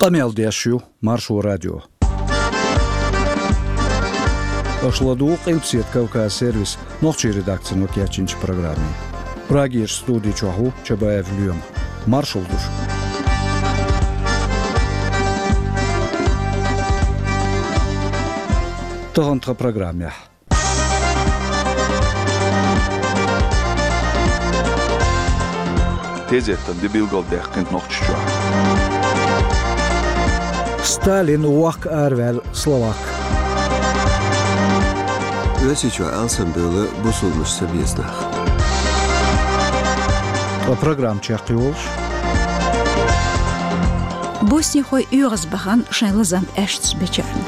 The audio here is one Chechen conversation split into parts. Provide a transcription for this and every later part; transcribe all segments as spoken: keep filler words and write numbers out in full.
Къамел деш ю Маршо радио. Аша ладугӀу Къилбаседа Кавказ сервисан нохчийн редакцино кечйинчу программе. Прагерчу студи чохь ву Чабаев Лоьма. Маршалла ду шуьга. Тахана тхан программехь. Тезеттан де билгалдаьккхина Нохчийчохь. Сталин вохка араваьлла словак. Оьрсийчохь алсамбевлла бусулбанаш ца беза нах. Ткъа программа чекхйолуш. Боснихой оьгӀазбахана шайн лазам аьшнаш бечарна.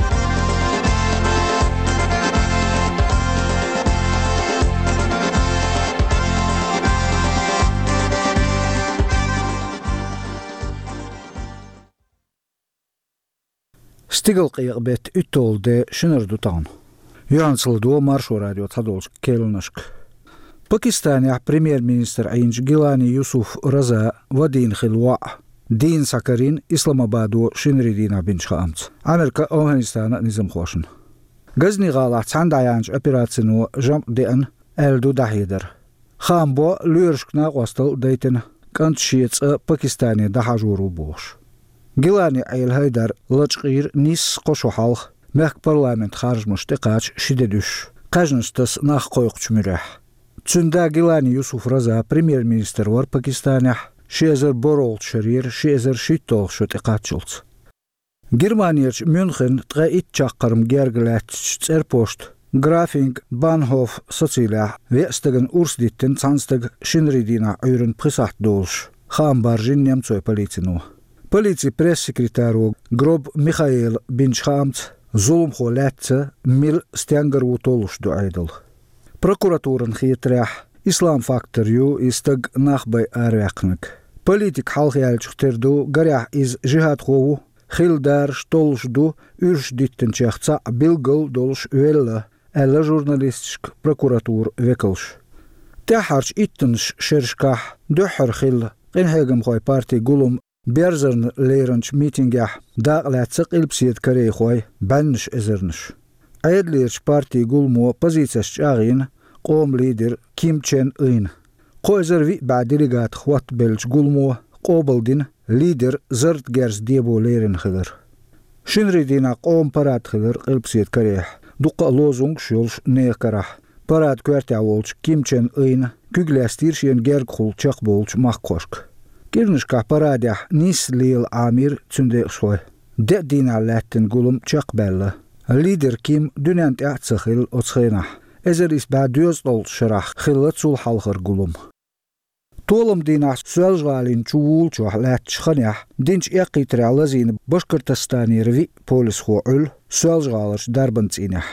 Стигалкъекъа беттан уьтталгӀа де, шинара ду тахана. Юьхьанца ладогӀа Маршо радион цхьадолчу керланашка. Пакистанехь премьер-министр Ӏийначу Гилани Юсуф Разан вадийна хилла воӀ дийна схьакарийна Исламабадо шинарин дийнахь бинчу хаамца Ӏамеркан а, Афганистанан а низамхошна. Газни гӀалахь цхьаьна дӀаяьхьначу операцино жамӀ деана, аьлла ду дӀахьедар. Хаам бо лоьрашка накъосталла а дайтина, кӀант шен цӀа Пакистане дӀахьажор ву бохуш. Гилани Ӏела ХӀайдар лачкъийра нийсса кхо шо хьалха, мехкан парламентан харжамаш тӀекхача ши де дуьсуш, кхаьжнаш таса нах кхойкхучу муьрехь. Цуьнан да Гилани Юсуф Раза премьер-министр вара Пакистанехь ши эзар борхӀалгӀачу шарера ши эзар шийтталгӀачу шо тӀекхаччалц. Германерчу Мюнхенна ткъе итт чаккхарма герга лаьттачу цӀерпошта Графингбанхоф сацилехь веа стагана урс диттина цхьана стага шинарин дийнахь Ӏуьйранна пхи сахьт долуш, хаам баржийна немцойн полицино. Полицин пресс-секретаро Гроб Михаэла бинчу хаамца, зуламхо лаьцна мила, стенгара ву толлуш ду Ӏедал. Прокуратурана хетарехь, ислам-фактор ю и стаг нах бай араваьккхинарг. Политик хьалха яьллачух тера ду, гарехь, иза жихӀадхо ву, хилла дараш толлуш ду, уьраш диттинчех цхьаъ билггал долуш велла, аьлла журналисташка прокуратуран векалша. ТӀаьххьарчу иттаннаш шерашкахь дуьххьара хилла къинхьегамхойн партин гулам Берзарна леранчу митингехь дакъалаьцна къилбаседа корейхой бӀеннаш эзарнаш. Ӏедалерчу партин гуламо позицеш чӀагӀйина къоман лидер Ким Чен Ын. Кхо эзар виъ бӀе делегатах хӀоттабеллачу гуламо къобалдина лидер зарратан герз дебо лерина хилар. Шинарин дийнахь къоман парад хилар Къилбаседа Корейхь. Дуккха а лозунгаш йолуш нехан карахь. Парадан коьртехь волчу Ким Чен Ына куьг лаьцнера шена гергахула чекхболчу махкахошка. КӀирнашкахь парадехь нийсса лела Ӏамийра цуьнан декъашхой. Деа дийнахь лаьттина гулам чекхбаьлла. Лидер Ким дуьненна тӀехь а ца хилла оцу хенахь. Эзар исс бӀе дезткъалгӀачу шарахь хилла цул хьалхара гулам. Толам дийнахь Соьлжа-ГӀалин чу вуллучохь лаьттачу ханехь динчу эккхийтарехь лазийна Башкортостанера виъ полисхо Ӏуьллу Соьлжа-ГӀаларчу дарбан цӀийнехь.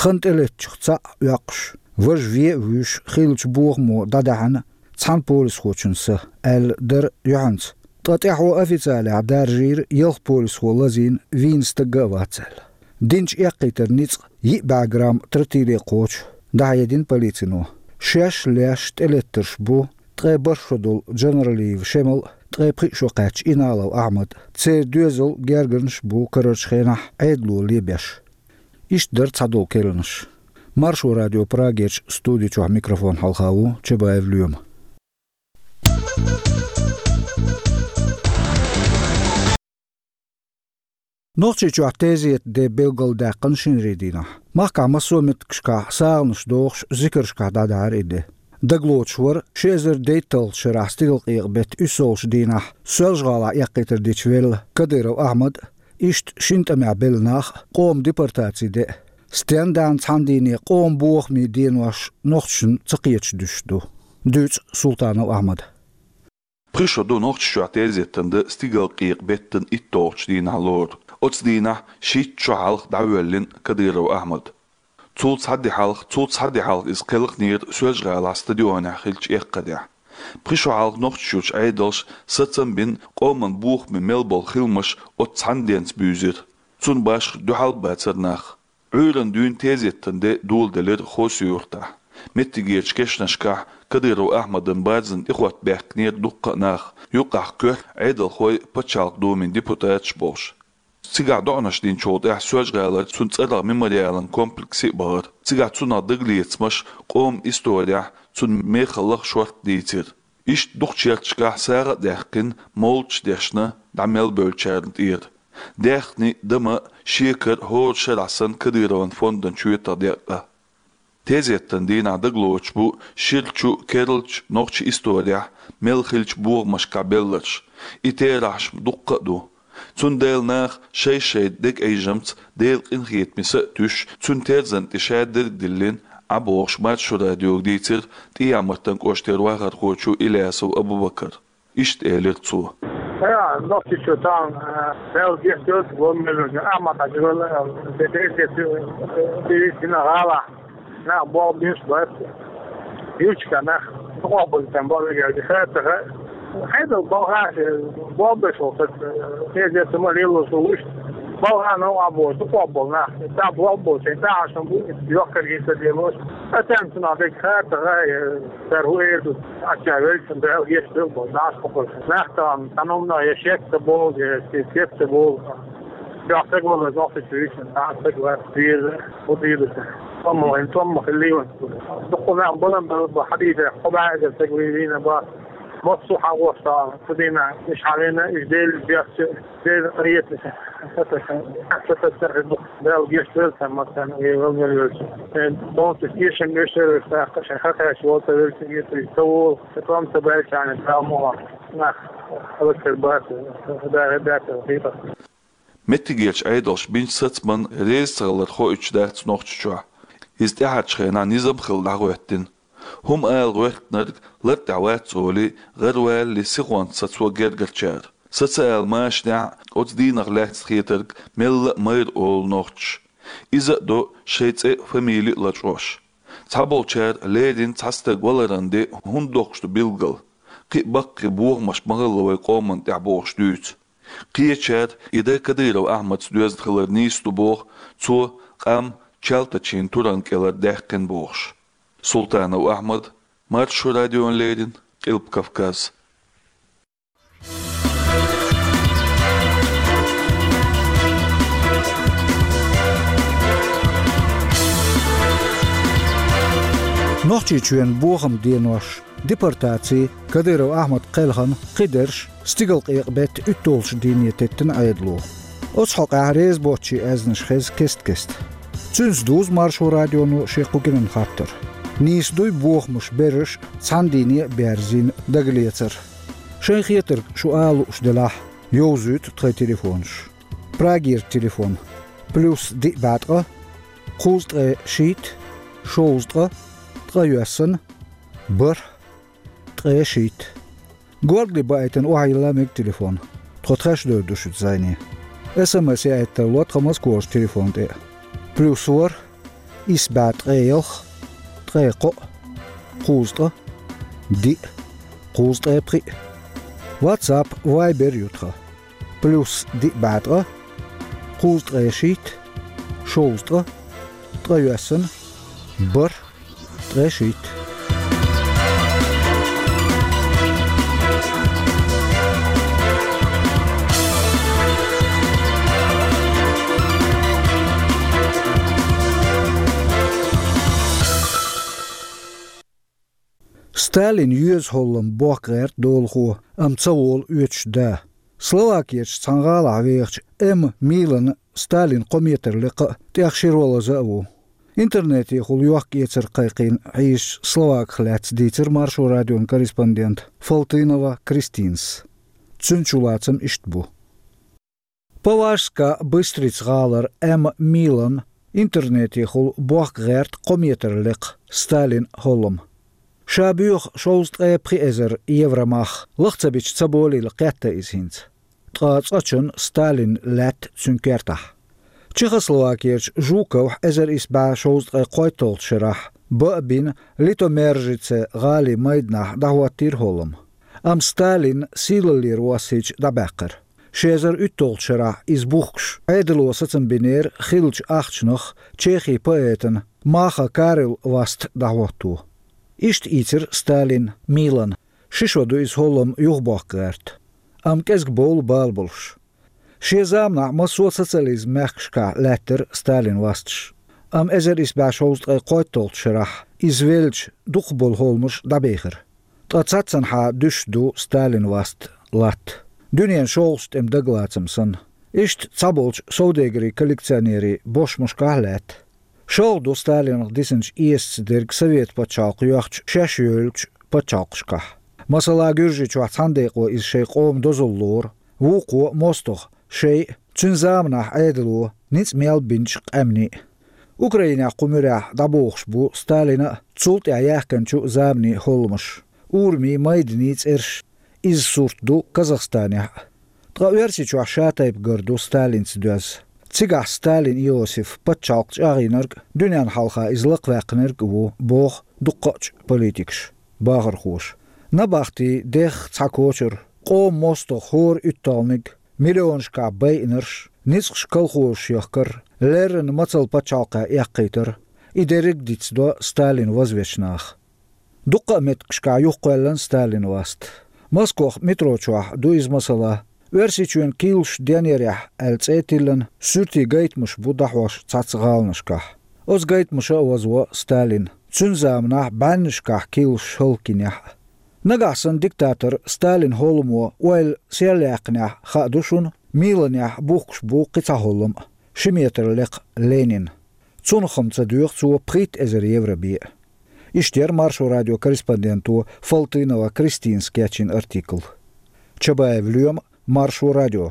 Хан тӀелеттачух цхьаъ оьккхуш, важа вен а вуьйш, хиллачу бохамо дӀадаьхьна цхьана полисхочун са, аьлла дара юьхьанца. Ткъа тӀаьхьо официалехь даржийра ялх полисхо лазийна, вийна стаг а вац аьлла. Динчу эккхийтаран ницкъ йиъ бӀе грамм тротиле кхочу, дӀахьедина полицино. Шаьш леш тӀелеттарш бу ткъе бархӀ шо долу Джанаралиев Шемал а, ткъе пхиъ шо кхаьчна Иналов Ахьмад а. Церан доьзал, гергарнаш а бу карарчу хенахь Ӏедало лебеш. Иштта дара цхьадолу керланаш. Маршо радион Прагерчу студи чохь микрофон хьалха ву Чабаев Лоьма. Нохчийчохь тезетан де билгалдаьккхина шинарин дийнахь. Махкахь массо а меттигашкахь сагӀанаш дохуш, зикаршкахь дӀадахьара и де. Дагалоцуш вара ши эзар дейтталгӀачу шарахь Стигалкъекъа беттан уьссалгӀачу дийнахь Соьлжа-ГӀалахь эккхийтар дича велла Кадыров Ахьмад а, иштта шина тӀамехь белла нах а, къоман депортаци де а. Стенна даьхна цхьана дийне къоман бохамийн денош нохчашна ца кхеташ дуьсуш ду. Дуьйцу Султанов Ахьмада. Пхи шо ду Нохчийчохь тезеттан де Стигалкъекъа беттан итталгӀачу дийнахь лору. Оцу дийнахь шийтта шо хьалха дӀавоьллина Кадыров Ахьмад. Цул цхьа де хьалха, цул цхьа де хьалха иза кхелхинера Соьлжа-ГӀалахь стадионехь хиллачу эккхадехь. Пхи шо хьалха Нохчийчуьрчу Ӏедалша сацам а бина, къоман бохаме мел болу хиламаш оцу цхьана денца буьйзира. Цунна башха дуьхьал а бацара нах. Ӏуьйранна дуьйна тезеттан де доладелира Хасавюртахь. Меттигерчу кешнашкахь Кадыров Ахьмадан барзана тӀехӀотта баьхкинера дуккха а нах, юкъахь коьрта Ӏедалхой, Пачхьалкхан Думин депутаташ болуш. Цигахь доӀанаш динчул тӀаьхьа Соьлжа-ГӀалара цуьнан цӀарах мемориалан комплексе а бахара. Цигахь цунах дагалецамаш, къоман исторехь цуьнан мехаллах шортта дийцира. Иштта дукхачу ярташкахь сагӀа а даьккхина, молиташ дешна дӀа мел бевллачарна тӀера. Даьхни, дама, шекар хӀора шарахь санна Кадыровн фондан чоьтах декъна. Тезеттан дийнахь дагалоцуш бу ширачу, керлачу нохчийн исторехь мел хиллачу бохамашкахь белларш. И терахьаш дуккха а ду. Цундела наха шай-шайн дегайжамца, Делан къинхетамца а туьйсуш, цуьнан терзан тӀе шадерг а диллина, Ӏа бохуш Маршо радиога дийцира ТӀехьа-Мартан кӀоштара вахархочо Илясов Абубакара. Иштта элира цо. Я, нохчийчу тахана, э, Дала гечдойла, вон меллачу Ахьмад-Хьаьжа вала, э, де-, де-, де-, де-, де-, дина гӀалахь, нах болх беш бац. Юьрташкахь нах къобалдина болх беш, хаттар хаа. Хьайдал болх беш, э, болх беш волу стаг, э, хеза ца ма лело со вуьшта. Болх а новкъа боху, дукха болу нах. Цхьа болх бу, шайн тӀаьхьашна бу, йоккхар гиса делош. Аса цунах дерг хаттар хаа, э, цара хӀун эр ду. Ача велчун Дала гечдойла боху, нах кхокхуш. Нах тахана, цхьана хӀуманах я шек ца болу, я шек ца болу. Чохь стаг вала, нохчийчу вуьйцина, цхьа стаг вац, веза, хӀун дийла ца. Томма вайн, томма хилла вайн. Дукха нах балан бала бу, хьадийца, кхо бӀе эзар стаг вий-, вийна бу. Массо а хьагӀош тахана, ца дийна, уьш хьалийна, уьш Делан бехча, Делан къинхетамца. Дала гечдойла царна массарна, вай вала мел велча. Шайн бонтуш эшам эшар веш тӀаккха, шайн хаташ волу ца велча, гечдойла ца волу, ца тӀом ца баьлча, Дала мукъ лахь. Нах хӀаллакьхир бац, хӀара бац, хӀара бац. Меттигерчу Ӏедалша бинчу сацамна реза ца хилар хоуьйтуш дац Нохчийчохь. Иза тӀаьхьарчу хенахь низам хилла дӀахӀоьттина. ХӀума ала гӀоьртинарг лартӀехь вац олий, гӀаравалале сихонца сацо гергарчара. Сацаала машанехь оцу дийнах лаьцна хетарг мелла а майра олу нохчаша. Иза а до шайн цӀе а, фамили а лачкъош. Цхьаболчара леррина цхьа стаг валаран де хӀунда доккхуш ду билггал. Кхин а баккхий бохамаш ма хилла вайн къоманна тӀехь бохуш дуьйцу. Кхечара и дан Кадыров Ахьмадца доьзна хилар нийса ду боху, цо къам Чалтачийн туран кӀелара даьккхина бохуш. Султанов Ахьмад, Маршо радиона леррина, Къилба Кавказ. Нохчийчоьнан бохаман денош, депортаци, Кадыров Ахьмад кхелхина кхидерш стигалкъекъа беттан уьтталгӀачу дийне теттина Ӏедало. Оцу хьокъехь реза боцчийн аьзнаш хеза кест-кеста. Цуьнца дузу Маршо радионо шен кху кӀиран хаттар. Нийса дуй бохамаш берриш цхьана дийне а берзийна дагалецар? Шайн хетарг шу ала лууш делахь, йовзуьйту тхайн телефонаш. Прагера телефон: плюс диъ бӀе ткъа, кхузткъе шийтта, шовзткъа, ткъайоьсна, бархӀ, ткъе шийтта. Горгали баийтина охьайилла мега телефон. Тхо тхаьш девр ду шуьца зӀене. СМС яийта тарло тхан Москохчу телефон тӀе. Плюс ворхӀ, исс бӀе ткъе ялх, ткъе кхоъ, кхузткъа, диъ, кхузткъе пхиъ. WhatsApp, Viber ю тхан. Плюс диъ бӀе ткъа, кхузткъе шийтта, шовзткъа, ткъайоьсна, бархӀ, ткъе шийтта. Сталин йоьза хӀоллам бохка гӀерта долахо, амма ца волу оьцуш да. Словакерчу цхьана гӀалахь вехачу М. Милана Сталин кхо метр лекха а, тӀех ши ролаза а ву. Интернетехула йохка-эцар кхайкхийна хьийзачу словаках лаьцна дийцира Маршо радион корреспондента Фалтынова Кристинас. Цуьнан чулацам иштта бу. Поволжска Быстрица гӀалара М. Милана интернетехула бохка гӀерта кхо метр лекха Сталин хӀоллам. Ша боьху шовзткъе пхи эзар евро мах, лаха ца бича ца болийла кхетта иза хӀинца. Ткъа цкъачунна Сталин лаьтта цуьнан кертахь. Чехословакерчу Жуковхь эзар исс бӀе шовзткъе кхойтталгӀачу шарахь бан а бина, Литомержице гӀалин майданахь дӀахӀоттийра хӀоллам. Амма Сталин сийлаллера воссийча дӀабаьккхира. Ши эзар уьтталгӀачу шарахь иза бухкуш, Ӏедало сацам бинера хиллачу ахчанах Чехин поэтана Маха Карел васт дӀахӀотто. Иштта ийцира Сталина Милана. Ши шо ду иза хӀоллам юхабоккха гӀерта. Амма кӀезиг бовла бала болуш. Шен заманахь массо а социализм мехкашкахь лаьттара Сталина васташ. Амма эзар исс бӀе шовзткъе кхойтталгӀачу шарахь иза веллачу дукхахболу хӀолламаш дӀабехира. Ткъа цхьаццанхьа дуьсуш ду Сталина васт латта. Дуьненан шолгӀачу тӀеман дагалацам санна. Иштта цхьаболчу совдегарийн коллекционерийн бошмашкахь а лаьтта. ШолгӀа ду Сталинах дисинчу эсаца дерг Совет пачхьалкх йоьхча шаьш йолчу пачхьалкхашкахь. Масала, Гуьржийчохь цхьана декъо иза шайн къоман дозалла лору, вукхо, мостагӀа, шайъа, цуьнан заманахь Ӏедало, ницкъ мел бинчу къаьмнийн. Украинехь кху муьрехь дӀабохуш бу Сталина а, цул тӀаьхьа яьхкинчу заманийн хӀолламаш, урамийн, майданийн цӀераш. Иза сурт ду Казахстанехь а. Ткъа Оьрсийчохь шатайпа гар ду Сталинца доьзна. Цигахь Сталин Иосиф пачхьалкх чӀагӀйинарг а, дуьненна хьалха иза лакхаваьккхинарг а ву, боху дуккхаъчу политикаша, бахархоша. Набахти, дехха цхьа кочар, къоман мостагӀа хӀора уьтталгӀаниг, миллионашкахь байинарш, ницкъаш колхозаш яхкар, леррина мацалла пачхьалкхе эккхийтар, и дерриг а дицдо Сталин вазвечу наха. Дуккха а меттигашкахь юхакхоьллина Сталина васт. Москох метро чохь ду иза масала. Оьрсийчоьнан кийлаш денъярехь аьлла цӀе а тиллина, суьртийн гайтамаш бу дӀахьош цхьацца гӀаланашкахь. Оцу гайтамаша а вазво Сталин, цуьнан заманахь бӀеннашкахь кийлаш хӀаллакйинехь а. Нагахь санна диктатор Сталина хӀолламо ойла серлаяьккхинехь, хаа ду шуна, Миланехь бухкуш бу кхин цхьа хӀоллам а, ши метр лекха Ленин. Цунах-м ца доьху цо пхийтта эзар евро бен а. Иштта яра Маршо радион корреспонденто Фалтынова Кристинас кечйина артикл. Чабаев Лоьма, Маршо радио.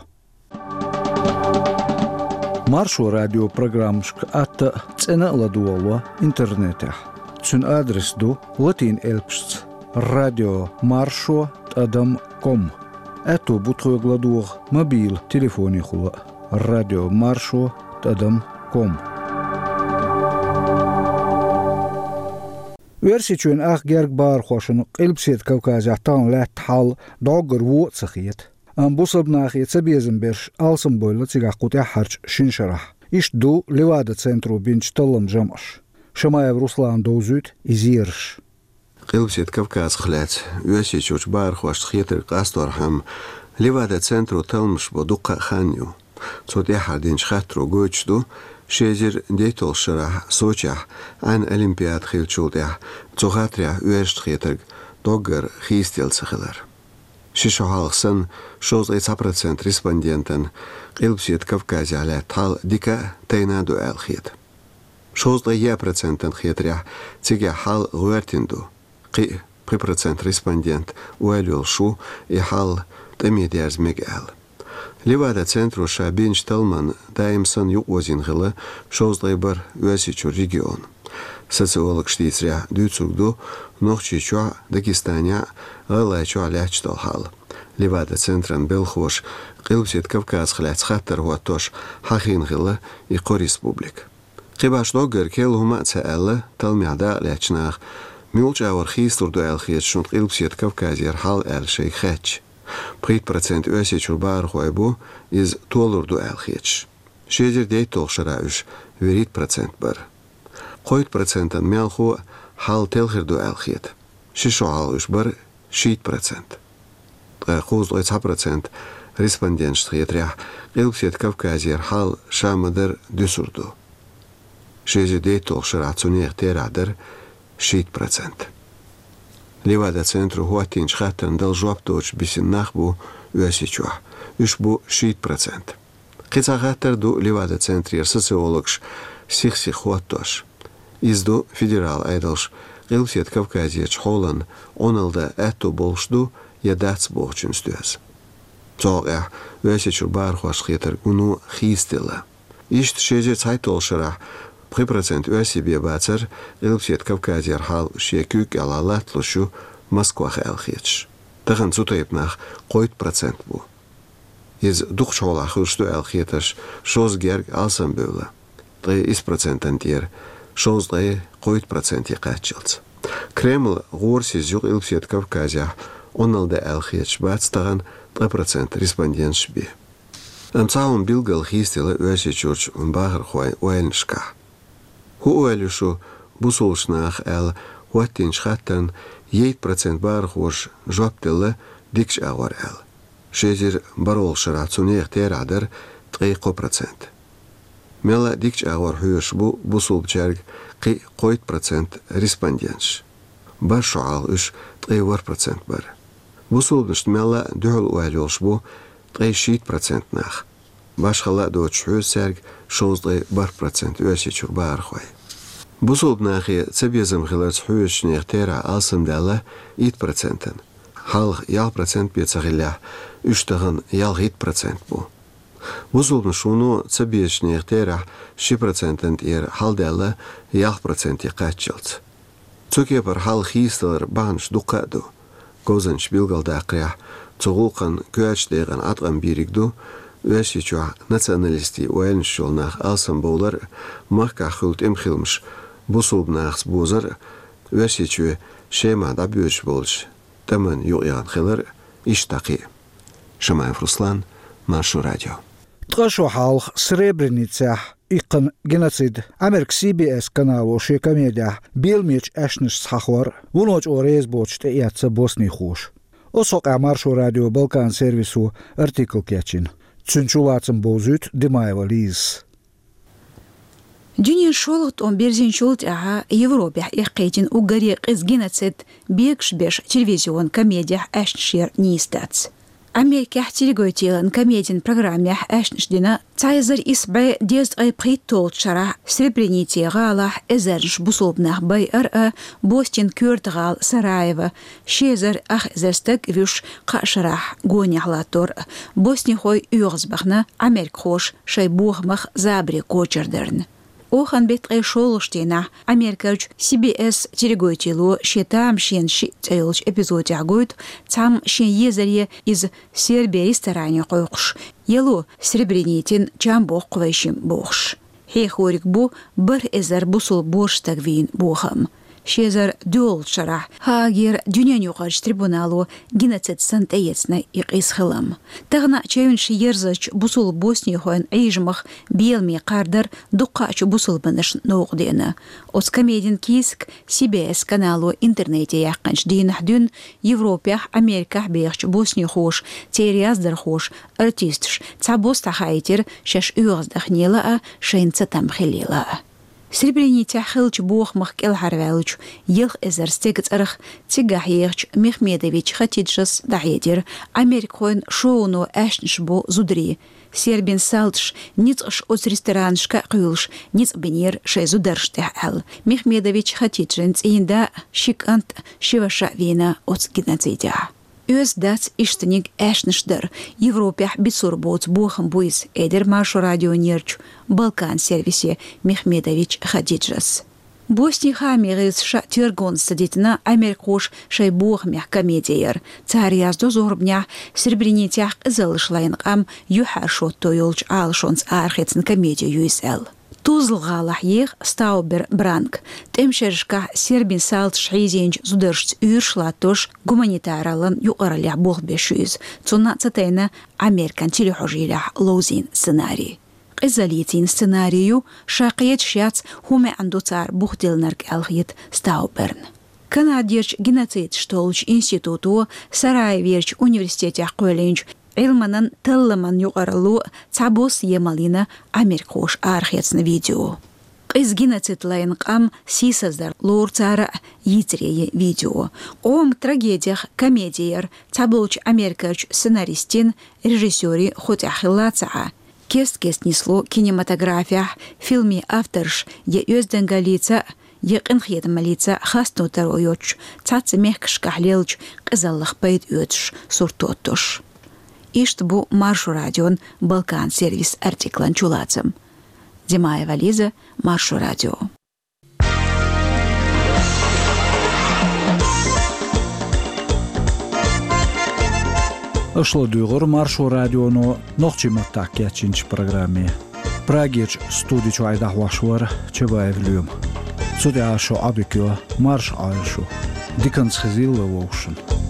Маршо радион программашка атта а, цӀена а ладогӀало интернетехь. Цуьнан адрес ду латин элпашца: радио маршо тӀадам ком. Аьтто бу тхоьга ладогӀа мобил телефонехула а: радио маршо тӀадам ком. Оьрсийчоьнан ах герга бахархошна Къилбаседа Кавказехь тахана лаьтта хьал дӀоггара вон а ца хета. Амма бусалба нахе цабезам берш алсамбевлла цигахь кху тӀаьххьарчу шина шарахь. Иштта ду Левада-центро бинчу талламан жамӀаш. Шамаев Руслана довзуьйту и зераш. Къилбаседа Кавказах лаьцна Оьрсийчуьрчу бахархошна хетарг къасторхьама, Левада-центро талламаш бо дуккха а хан ю. Цо тӀаьххьара динчу хаттаро гойтуш ду, ши эзар дейтталгӀачу шарахь Сочехь Ӏаьнан олимпиада хиллачул тӀаьхьа цу хаттарехь оьрсашна хетарг дӀоггара хийцаделла ца хилар. Ши шо хьалха санна, шовзткъе цхьа процент респондентана Къилбаседа Кавказехь лаьтта хьал дика а, тайна а ду аьлла хета. Шовзткъе яа процентана хетарехь, цигахь хьал гӀоьртина ду. Кхин а пхи процент респондент ойла йолуш ву, и хьал тӀаме дерза мега аьлла. Левада-центро ша бинчу талламан даим санна юкъаозийна хилла шовзткъе бархӀ Оьрсийчуьра регион. Социологаша дийцарехь, дуьйцург ду Нохчийчохь а, Дагестанехь а, ГӀалгӀайчохь а лаьтташ долу хьал. Левада-центран белхахоша Къилбаседа Кавказах лаьцна хаттар хӀоттош хьахийна хилла и кхо республика. Кхин башха доггара керла хӀума а ца аьлла, талламехь дакъалаьцначу наха, муьлхачу агӀор хийцалур ду аьлла хеташ шуна Къилбаседа Кавказера хьал аьлла шайга хаьттича. Пхийтта процент Оьрсийчуьра бахархой бу, иза толур ду аьлла хеташ. Ши эзар дейтталгӀачу шарахь уьш вуьрхӀитта процент бара. Кхойтта процентана мелхо а хьал телхир ду аьлла хета. Ши шо хьалха уьш бара шийтта процент. Ткъа кхузткъе цхьа процент респонденташна хетарехь, Къилбаседа Кавказера хьал ша ма-дарра дуьсур ду. Ши эзар дейтталгӀачу шарахь цу нехан терахь дара шийтта процент. Левада-центро хӀоттийначу хаттарна дала жоп доцуш бисина нах бу Оьрсийчохь. Уьш бу шийтта процент. Кхин цхьа хаттар ду Левада-центрера социологаша сих-сиха хӀоттош. Иза ду, федералан Ӏедалша Къилбаседа Кавказерчу хьолан Ӏуналла дан аьтто болуш ду я дац бохучуьнца доьзна. Цу хьокъехь Оьрсийчуьра бахархошна хетарг вуно хийцаделла. Иштта ши эзар цхьайтталгӀачу шарахь пхи процент оьрсий бен бацара, Къилбаседа Кавказера хьал шен куьйга кӀелахь латталуш ю Москвах аьлла хеташ. Тахана цу тайпа нах кхойтта процент бу. Иза дукхачу хьолахь хуьлуш ду аьлла хетарш шозза герга алсамбевлла, ткъе исс процентана тӀера шовзткъе кхойтта проценте кхаччалц. Кремль гӀорасиз ю Къилбаседа Кавказехь Ӏуналла дан аьлла хеташ бац тахана ткъа процент респонденташ бен. Амма цхьа хӀума билггал хийцаделла Оьрсийчуьрчу бахархойн ойланашкахь. ХӀун ойла ю шун бусалба нах аьлла хӀоттийначу хаттарна, итт процент бахархоша жоп делла дикачу агӀор аьлла. Ши эзар бархӀалгӀачу шарахь цу нехан терахь дара ткъе кхо процент. Мелла а дикачу агӀор хьоьжуш бу бусалбачаьрга кхин а кхойтта процент респонденташ. БархӀ шо хьалха уьш ткъе ворхӀ процент бара. Бусалбанашна мелла а дуьхьал ойла йолуш бу ткъе шийтта процент нах. Башхалла а доцуш хьоьжу цаьрга шовзткъе бархӀ процент Оьрсийчуьра бахархой. Бусалба нахе цабезам хиларца хьоьжучу нехан терахь алсамдаьлла итт процентана. Хьалха ялх процент бен ца хиллехь, уьш тахана ялхитта процент бу. Бусалбанаш вуно цабезачу нехан терахь ши процентана тӀера хьалдаьлла ялх проценте кхаччалц. Цу кепара хьал хийцадаларан бахьанаш дуккха а ду. Говзанчаша билгалдаккхарехь, цу гӀуллакхан коьртачу декъана Ӏаткъам бийриг ду Оьрсийчохь националистийн ойланаш йолу нах алсамбовлар а, махкахь хуьлу тӀеман хиламаш бусалба нахаца бозар а, Оьрсийчоь Шемахь дӀабоьдуш болчу тӀамна юкъаяхна хилар а, иштта дӀа кхин а. Шамаев Руслан, Маршо радио. Ткъа шо хьалха Сребреницехь иккхина геноцид Америкин Си Би Эс канало шен комедехь беламечу аьшнашца хьахор а, вуно чӀогӀа реза боцуш тӀеэцна боснихоша. Оцу хьокъехь Маршо радион Балкан сервисо артикл кечйина. Цуьнан чулацам бовзуьйту Димаева Лизас. Дуьненан шолгӀа тӀом бирзинчул тӀаьхьа Европехь эккхийтина уггаре къиза геноцид бегаш беш телевизионан комедехь аьшнаш яр нийса дац. Америкехь телегойтелан комедин программехь аьшнаш дина цхьа эзар исс бӀе дезткъе пхийтталгӀачу шарахь Сребреницин гӀалахь эзарнаш бусалба нах байар а, Боснин коьрта гӀала Сараево, ши эзар ах эзар стаг вуьш кхаа шарахь гонехь латтор а, боснихой оьгӀазбахана, америкахоша шайн бохамах забаре кочар дарна. Оханан беттан ткъе шолгӀачу дийнахь Америкерчу Си Би Эс телегойтело шен тамашийна шиъ цӀе йолчу эпизодехь гойту цхьамма шен езаре иза Сербин ресторане кхойкхуш, яло Сребреницин чам боккху вайшимма бохуш. Хьехориг бу бархӀ эзар бусалба боьрша стаг вийна бохам. Ши эзар доьалгӀачу шарахь Гаагера дуьненаюкъарчу трибунало геноцид санна тӀеэцна и къиза хилам. Тахана чевнаш ерзачу бусалба боснихойн Ӏийжамах беламе кхардар дуккхачу бусалбанашна новкъа деана. Оцу комедин кийсак Си Би Эс канало интернете яьккхинчу дийнахь дуьйна Европехь, Америкехь бехачу боснихоша, церан яздархоша, артисташа цхьабосса дӀахаийтира шаьш оьгӀаздахнела а, шайна цатам хиллела а. Сребреницехь хиллачу бохамах кӀелхьарваьллачу ялх эзар стеган цӀарах цигахь ехачу Мехмедович Хатиджас дӀахьедира, америкахойн шоуно аьшнаш бо зударий. Сербин салташа ницкъаш оцу ресторанашка а кхуьйлуш, ницкъ бинера шайн зударшна тӀехь аьлла. Мехмедович Хатиджин цӀийнда а, ши кӀант а, ши ваша а вийна оцу геноцидехь. Оьзда дац ишттаниг аьшнаш дар, Европехь бицур боцу бохам бу иза, элира Маршо радионерчу Балкан сервисе Мехмедович Хадиджас. Боснин хаамийн гӀирсаша тергонца ца дитина америкахоша шайн бохамех комеди яр. Цара яздо зорбанехь Сребреницехь къизаллаш лайна къам юьхьӀаьржа шотто йолчу Ӏалашонца арахецна комеди ю иза аьлла. Тузла гӀалахь еха Стаубер Бранк. ТӀеман шерашкахь сербийн салташа хьийзийначу зударшца уьйраш латтош, гуманитараллан юкъараллехь болх беш ю иза. Цунна ца тайна Американ телехьожийлехь ловзийна сценарий. Къизаллица йина сценарий ю, ша кхеташ яц, хӀун маьӀна ду цара бухдиллинарг аьлла хета Стауберна. Канадерчу геноцидаш толлучу институто, Сараеверчу университетехь кхоьллинчу Ӏилманан талламан юкъаралло цхьабосса емал йина америкахоша арахецна видео. Къиза геноцид лайна къам сийсаздар лору цара а йийцаре йи видео. Къоман трагедех комеди яр цхьаболчу Америкерчу сценаристийн, режиссерийн хӀу тӀехь хилла ца Ӏа. Кест-кеста нисло кинематографехь, фильмийн авторш я оьздангаллица, я къинхетамаллица хастам таро йоцуш, цхьацца мехкашкахь леллачу къизаллах пайда оьцуш сурт тоттуш. Иштта бу Маршо радион Балкан сервис артиклан чулацам. Димаева Лиза, Маршо радио. Аша ладуьйгӀура Маршо радионо нохчийн маттахь кечйинчу программе. Прагерчу студи чуьра дӀахьош вара Чабаев Лоьма. Цу тӀехь шун Ӏодика йо, марша Ӏойла шу. Диканца хезийла вовшашна.